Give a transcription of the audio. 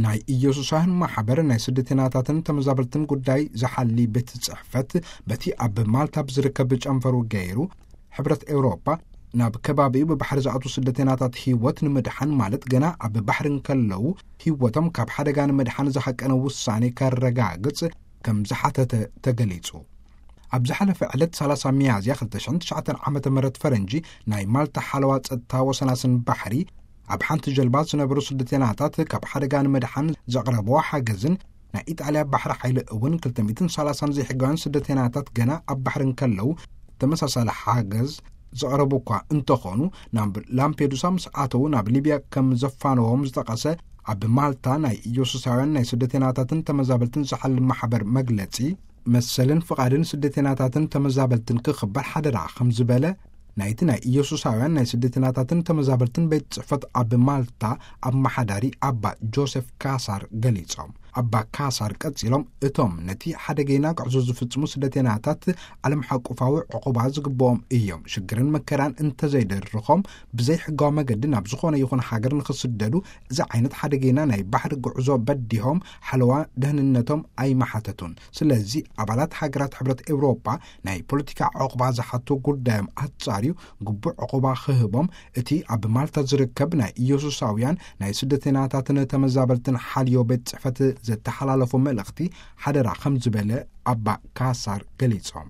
ናይ ኢየሱሳውያን ማሕበር ናይ ስደተናታትን ተመዛበልትን ጉዳይ ዝሓሊ ቤት ጽሕፈት፣ በቲ ኣብ ማልታ ብዝርከብ ጨንፈሩ ገይሩ፣ ሕብረት ኤውሮጳ ናብ ከባቢኡ ብባሕሪ ዝኣትዉ ስደተናታት ህይወት ንምድሓን፣ ማለት ገና ኣብ ባሕሪ እንከለዉ ህይወቶም ካብ ሓደጋ ንምድሓን ዝሃቀነ ውሳኔ ከረጋግጽ ከም ዝሓተተ ተገሊጹ። ኣብ ዝሓለፈ ዕለት ሰላሳ ሚያዝያ ክልተ ሽሕን ትሽዓተን ዓመተ ምህረት ፈረንጂ፣ ናይ ማልታ ሓለዋ ጸጥታ ወሰናስን ባሕሪ ኣብ ሓንቲ ጀልባ ዝነበሩ ስደተናታት ካብ ሓደጋ ንምድሓን ዘቕረብዎ ሓገዝን ናይ ኢጣልያ ባሕሪ ሓይሊ እውን ክልተ ሚእትን ሰላሳን ዘይሕጋውያን ስደተናታት ገና ኣብ ባሕሪ እንከለዉ ተመሳሳሊ ሓገዝ ዘቕረቡ እኳ እንተኾኑ፣ ናብ ላምፔዱሳ ምስ ኣተዉ ናብ ሊብያ ከም ዘፋነዎም ዝጠቐሰ ኣብ ማልታ ናይ ኢየሱሳውያን ናይ ስደተናታትን ተመዛበልትን ዝሓሊ ማሕበር መግለጺ፣ መሰልን ፍቓድን ስደተናታትን ተመዛበልትን ክኽበር ሓደራ ከም ዝበለ ናይቲ ናይ ኢየሱሳውያን ናይ ስደተናታትን ተመዛበልትን ቤት ጽሕፈት ኣብ ማልታ ኣመሓዳሪ ኣባ ጆሴፍ ካሳር ገሊጾም። ኣባ ካሳር ቀጺሎም፣ እቶም ነቲ ሓደገይና ጉዕዞ ዝፍጽሙ ስደተናታት ዓለም ሓቁፋዊ ዕቑባ ዝግብኦም እዮም። ሽግርን መከራን እንተዘይደርኾም ብዘይ ሕጋዊ መገዲ ናብ ዝኾነ ይኹን ሃገር ንኽስደዱ እዚ ዓይነት ሓደገይና ናይ ባሕሪ ጉዕዞ በዲሆም ሓለዋ ደህንነቶም ኣይመሓተቱን። ስለዚ ኣባላት ሃገራት ሕብረት ኤውሮጳ ናይ ፖለቲካ ዕቑባ ዝሓቱ ጉዳዮም ኣጻርዩ ግቡእ ዕቑባ ክህቦም እቲ ኣብ ማልታ ዝርከብ ናይ ኢየሱሳውያን ናይ ስደተናታትን ተመዛበልትን ሓልዮ ቤት ጽሕፈት ዘተሓላለፎ መልእኽቲ ሓደራ ከም ዝበለ ኣባ ካሳር ገሊጾም።